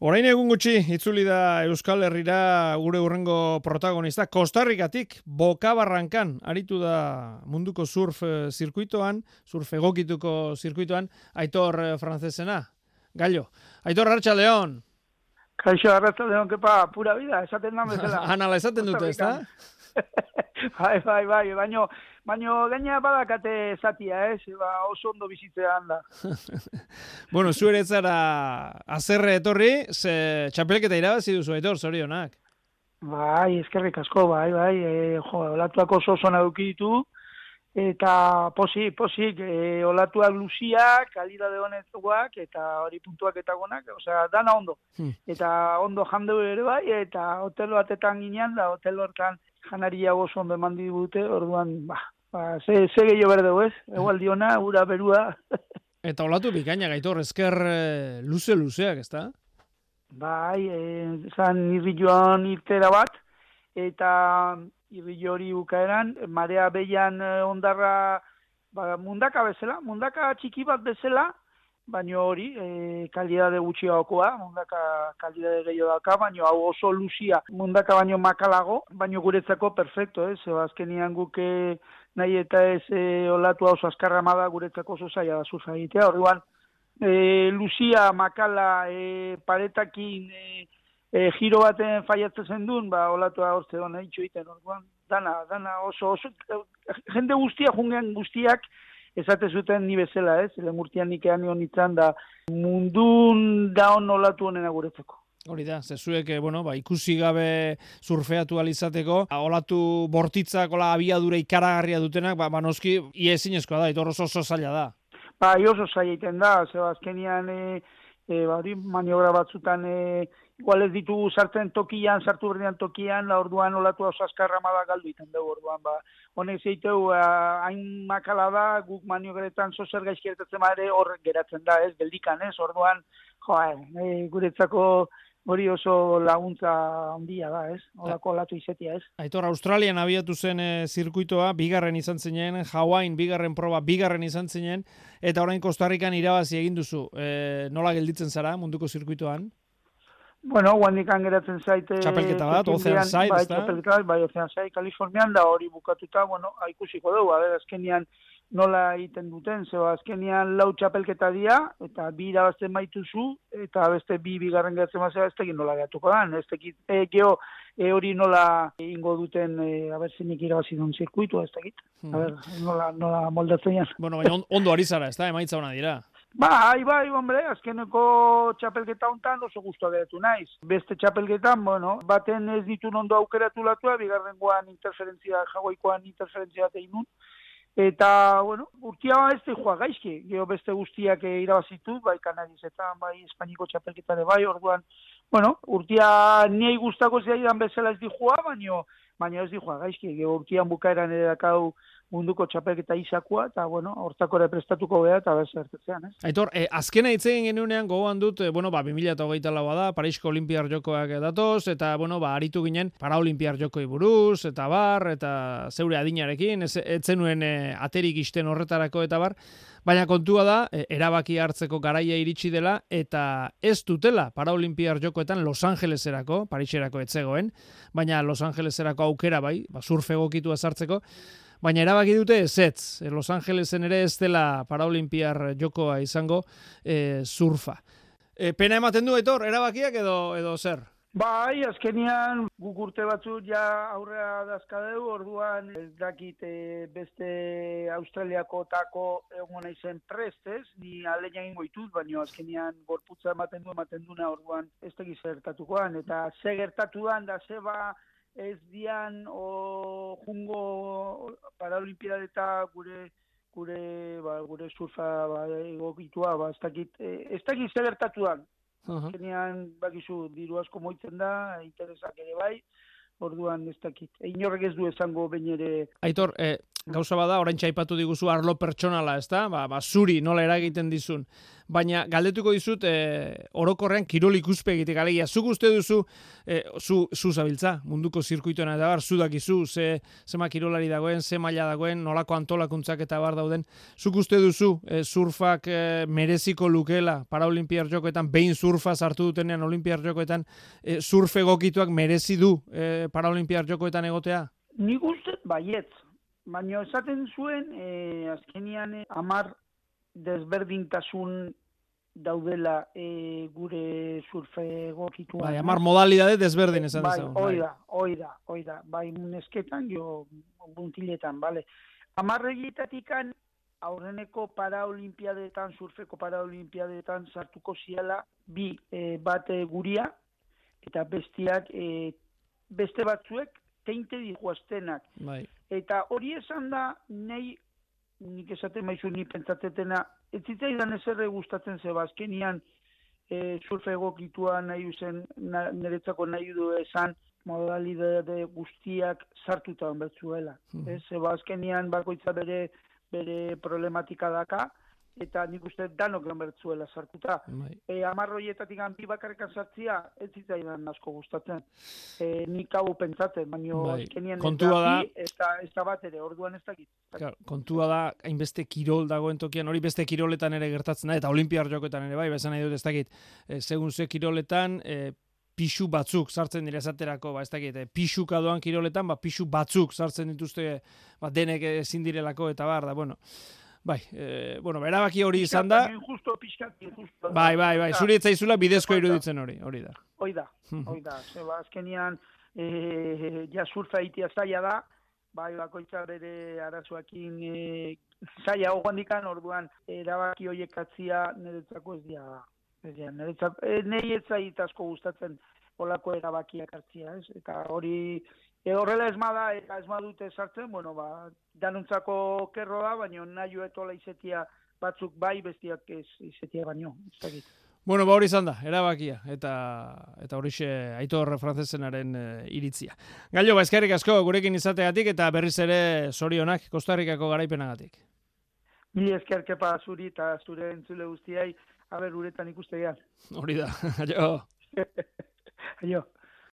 Orain egun gutxi, itzuli da Euskal Herrira gure hurrengo protagonista, Kostarrikatik, Bokabarrankan, aritu da munduko surf zirkuitoan, surf egokituko zirkuitoan, Aitor Francesena, Gallo. Aitor, Arratsaldeon. Kaixo, Arratsaldeon, kepa, pura vida, esaten da bezala. Anala esaten dute, ezta? Bai, baino gaina badakate zatia, oso ondo bizitzean da. Bueno, zu ere zara azerre etorri, ze txapelketa irabazi duzu, Aitor, zorionak. Bai, eskerrik asko, bai, olatuak oso eduki ditu, eta posik, olatuak luziak, kalidade honetzuak, eta hori puntuak eta gonak, osea, dana ondo. Eta ondo jandeu ere bai, eta hotel batetan ginean, da hotel hortan janaria oso ondo eman digute, orduan, ze gehiago berdeu, ez? Egualdiona, ura, berua. Eta olatu bikaina, Aitor, esker luzeak, ezta? Bai, zan irrilloan irtera bat, eta irrillo hori bukaeran, marea behian ondarra mundaka txiki bat bezala, baino hori, kalidade gutxiagokoa, mundaka kalidade gehiago daka, baino hau oso luzia, mundaka baino makalago, baino guretzako perfecto, azkenian guke nahi eta ez olatu oso azkarra amada guretzako oso zaila da zuza egitea, orduan, luzia, makala, paretakin, giro baten faiatzen zendun, olatua hortze duen egitxo egiten, orduan, dana oso, jende jungen guztiak, esate zuten ni bezala, lemurtian nikean nion itzan da, mundun daun olatu honena guretzeko. Hori da, zezuek, ikusi gabe surfeatu alizateko, olatu bortitzak, abiadura ikaragarria dutenak, noski, iezinezkoa da, Aitor oso zaila da. Oso zaila egiten da, azkenian, maniobra batzutan, igual ez ditugu sartu berdian tokian, orduan olatu oso azkarra amada galdu iten dugu, orduan, honek zeiteu, hain makala da, guk maniobretan zozer gaizkiertatzen ere horrek geratzen da, geldikan, orduan, guretzako hori oso laguntza handia da, olako olatu izetia, Aitor, Australian abiatu zen zirkuitoa, bigarren izan zinen, Hawaiian bigarren proba, bigarren izan zinen, eta orain Kostarrikan irabazi egin duzu. Nola gelditzen zara munduko zirkuitoan? Bueno, guandikan geratzen zaite... Txapelketa bat, Ocean Side, ez da? Txapelketa bat, Ocean Side, Kalifornian, da hori bukatuta, ikusiko dugu, azkenian nola egiten duten, azkenian lau txapelketa dia, eta bi irabazten baituzu, eta beste bigarren geratzen mazera, ez tekin nola geratuko dan, ez tekin hori nola ingo duten, zenik irabazi duen zirkuitu, ez tekit, nola moldatzen jan. Bueno, ondo ari zara, ez da, emaitza hona dira. Bai, hombre, azkeneko txapelketa hontan oso guztua geratu naiz. Beste txapelketan, baten ez ditun ondo aukeratu latua, bigarrengoan jagoikoan interferentzia bat egin nun. Eta, urtia ez da joa gaizki, geho beste guztiak irabazitu, bai Kanarizetan, bai Espainiko txapelketare, bai, orduan, urtia niei guztako zaidan bezala ez di joa, baina ez di joa gaizki, geho urtian bukaeran ere dakau munduko txapelketa izakua, eta, hortako ere prestatuko beha, eta bezertetzean, Aitor, azkena itzegin genuenean gogoan dut, 2024 da, Parisko Olimpiar Jokoak datoz, eta, aritu ginen Paraolimpiar Jokoi buruz, eta eta zeure adinarekin, ez zenuen aterik isten horretarako, eta baina kontua da, erabaki hartzeko garaia iritsi dela, eta ez dutela Paraolimpiar Jokoetan Los Angeleserako, Pariserako etzegoen, baina Los Angeleserako aukera bai, surf egokitua sartzeko, baina erabaki dute ezetz, Los Angelesen ere ez dela Paraolimpiar Jokoa izango surfa. Pena ematen du, Aitor, erabakiak edo zer? Bai, azkenian guk urte batzuk ja aurrea dazkadeu, orduan ez dakit beste Australiako tako egon naizen prestez, ni aleina egingo ditut, baina azkenian gorputza ematen duna, orduan ez tegiz gertatukoan, eta ze gertatuan da zeba ez dian jungo Paraolimpiada eta gure surfa egokitua, ez dakit ze gertatuan. Zenean, bakizu, diru asko moitzen da, interesak ere bai, orduan ez dakit. Inorrek ez du esango bain ere... Aitor, gauza bada, orain txaipatu diguzu arlo pertsonala, ezta? Zuri nola eragiten dizun. Baina galdetuko dizut orokorrean kirol ikuspegitik, alegia, zuk uste duzu, zu zabiltza, munduko zirkuitoan eta bar, zu dakizu, zema kirolari dagoen, ze maila dagoen, nolako antolakuntzak eta bar dauden, zuk uste duzu surfak mereziko lukela Paraolimpiar Jokoetan, behin surfa sartu dutenean Olimpiar Jokoetan, surf egokituak merezi du Paraolimpiar Jokoetan egotea? Nik uste baietz, baina esaten zuen, azkenian 10 desberdintasun daudela gure surfe egokituan. Bai, 10 modalidade desberdin esan dezagun. Bai, hoi da. Bai, nesketan, jo, buntiletan, bale. 10 horietatikan aurreneko paraolimpiadetan, surfeko paraolimpiadetan sartuko ziala, bat guria, eta bestiak, beste batzuek, teinte dihuaztenak. Bai. Eta hori esan da, nik esaten maizu ni pentsatzetena, ez zitzaidan ezerre gustatzen zeba, azkenian surfe egokitua nahi zen, niretzako nahi du esan, modalidade guztiak sartuta onbertzuela. Zeba azkenian bakoitza bere problematika daka, eta nik uste danok onbertzuela sartuta. 10 horietatik bi bakarrekan sartzia, ez zitzaidan asko gustatzen. Nik hau pentsatzen, baina azkenian ez da bat ere, orduan ez dakit. Kontua da, hainbeste kirol dagoen tokian, hori beste kiroletan ere gertatzen da, eta Olimpiar Jokoetan ere bai, bezan nahi dut ez dakit, segun ze kiroletan, pixu batzuk sartzen dira esaterako, ez dakit, pixuka doan kiroletan, pixu batzuk sartzen dituzte, denek ezin direlako, eta bar, da, bueno. Bai, erabaki hori izan da. Justo pixkat. Bai, zuri etzaizula bidezko iruditzen hori da. Hoi da. Zeba, azkenian, surfa itia zaila da, bai, bakoitza bere arazoakin zaila hogandikan, orduan, erabaki horiek atzia niretzako ez dira. Nei ez zait asko gustatzen olako erabakiak hartzia, ez? Eta hori, horrela esmada, eta esmadute sartzen, danuntzako kerro da, baina nahi etola izetia batzuk bai, bestiak ez izetia baino. Bueno, hori izan da, erabakia, eta horixe Aitor Francesenaren iritzia. Gallo, eskerrik asko gurekin izateagatik, eta berriz ere zorionak Kostarrikako garaipenagatik. Mili eskerkepa zuri eta zure entzule guztiai, uretan ikustegean. Hori da, aio. Aio.